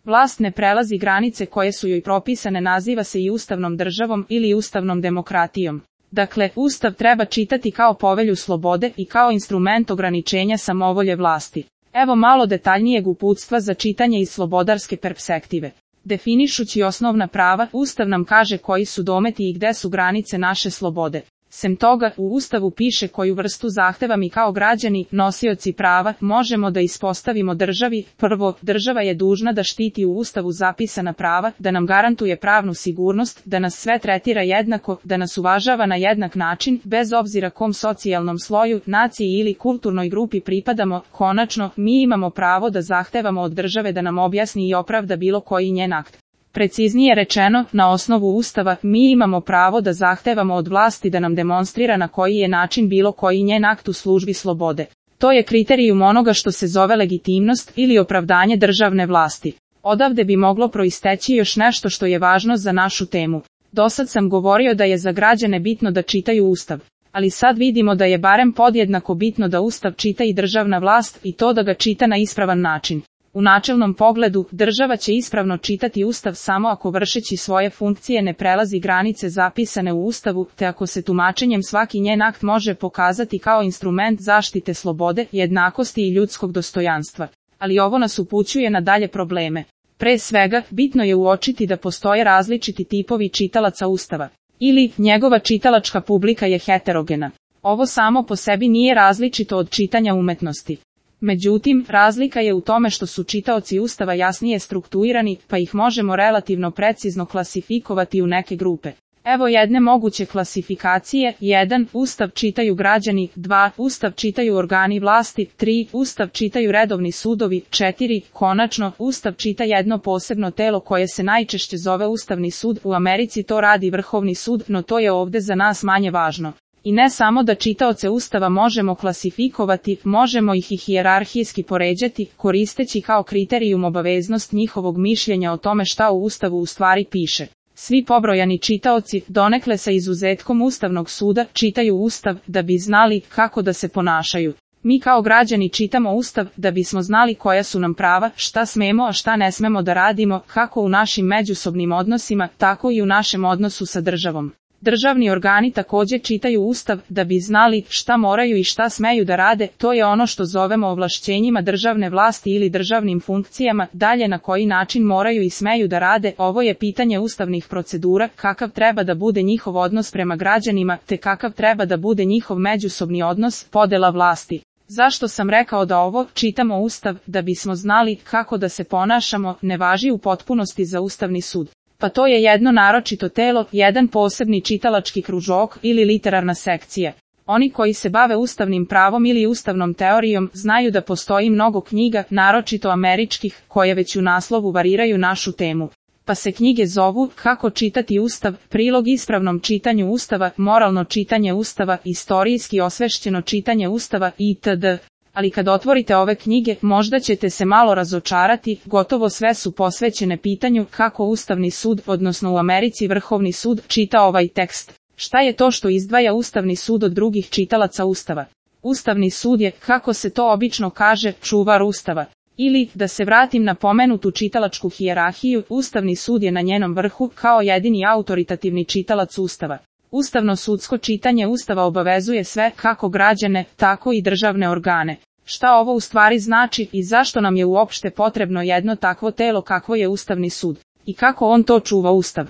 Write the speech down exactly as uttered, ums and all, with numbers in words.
Vlast ne prelazi granice koje su joj propisane, naziva se i ustavnom državom ili ustavnom demokratijom. Dakle, Ustav treba čitati kao povelju slobode i kao instrument ograničenja samovolje vlasti. Evo malo detaljnijeg uputstva za čitanje iz slobodarske perspektive. Definišući osnovna prava, Ustav nam kaže koji su dometi i gde su granice naše slobode. Sem toga, u Ustavu piše koju vrstu zahteva mi kao građani, nosioci prava, možemo da ispostavimo državi. Prvo, država je dužna da štiti u Ustavu zapisana prava, da nam garantuje pravnu sigurnost, da nas sve tretira jednako, da nas uvažava na jednak način, bez obzira kom socijalnom sloju, naciji ili kulturnoj grupi pripadamo. Konačno, mi imamo pravo da zahtevamo od države da nam objasni i opravda bilo koji njen akt. Preciznije rečeno, na osnovu Ustava, mi imamo pravo da zahtevamo od vlasti da nam demonstrira na koji je način bilo koji njen akt u službi slobode. To je kriterijum onoga što se zove legitimnost ili opravdanje državne vlasti. Odavde bi moglo proisteći još nešto što je važno za našu temu. Dosad sam govorio da je za građane bitno da čitaju Ustav. Ali sad vidimo da je barem podjednako bitno da Ustav čita i državna vlast, i to da ga čita na ispravan način. U načelnom pogledu, država će ispravno čitati Ustav samo ako vršeći svoje funkcije ne prelazi granice zapisane u Ustavu, te ako se tumačenjem svaki njen akt može pokazati kao instrument zaštite slobode, jednakosti i ljudskog dostojanstva. Ali ovo nas upućuje na dalje probleme. Pre svega, bitno je uočiti da postoje različiti tipovi čitalaca Ustava. Ili, njegova čitalačka publika je heterogena. Ovo samo po sebi nije različito od čitanja umetnosti. Međutim, razlika je u tome što su čitaoci Ustava jasnije strukturirani, pa ih možemo relativno precizno klasifikovati u neke grupe. Evo jedne moguće klasifikacije. jedan. Ustav čitaju građani. dva. Ustav čitaju organi vlasti. tri. Ustav čitaju redovni sudovi. četiri. Konačno, Ustav čita jedno posebno telo koje se najčešće zove Ustavni sud. U Americi to radi Vrhovni sud, no to je ovde za nas manje važno. I ne samo da čitaoce Ustava možemo klasifikovati, možemo ih i hijerarhijski poređati, koristeći kao kriterijum obaveznost njihovog mišljenja o tome šta u Ustavu u stvari piše. Svi pobrojani čitaoci, donekle sa izuzetkom Ustavnog suda, čitaju Ustav da bi znali kako da se ponašaju. Mi kao građani čitamo Ustav da bismo znali koja su nam prava, šta smemo a šta ne smemo da radimo, kako u našim međusobnim odnosima, tako i u našem odnosu sa državom. Državni organi također čitaju Ustav da bi znali šta moraju i šta smeju da rade, to je ono što zovemo ovlašćenjima državne vlasti ili državnim funkcijama, dalje na koji način moraju i smeju da rade, ovo je pitanje ustavnih procedura, kakav treba da bude njihov odnos prema građanima, te kakav treba da bude njihov međusobni odnos, podela vlasti. Zašto sam rekao da ovo, čitamo Ustav da bismo znali kako da se ponašamo, ne važi u potpunosti za Ustavni sud? Pa to je jedno naročito telo, jedan posebni čitalački kružok ili literarna sekcija. Oni koji se bave ustavnim pravom ili ustavnom teorijom znaju da postoji mnogo knjiga, naročito američkih, koje već u naslovu variraju našu temu. Pa se knjige zovu Kako čitati Ustav, prilog ispravnom čitanju Ustava, moralno čitanje Ustava, istorijski osvešćeno čitanje Ustava itd. Ali kad otvorite ove knjige, možda ćete se malo razočarati, gotovo sve su posvećene pitanju kako Ustavni sud, odnosno u Americi Vrhovni sud, čita ovaj tekst. Šta je to što izdvaja Ustavni sud od drugih čitalaca Ustava? Ustavni sud je, kako se to obično kaže, čuvar Ustava. Ili, da se vratim na pomenutu čitalačku hijerarhiju, Ustavni sud je na njenom vrhu, kao jedini autoritativni čitalac Ustava. Ustavno sudsko čitanje Ustava obavezuje sve, kako građane, tako i državne organe. Šta ovo u stvari znači i zašto nam je uopšte potrebno jedno takvo telo kakvo je Ustavni sud? I kako on to čuva Ustav?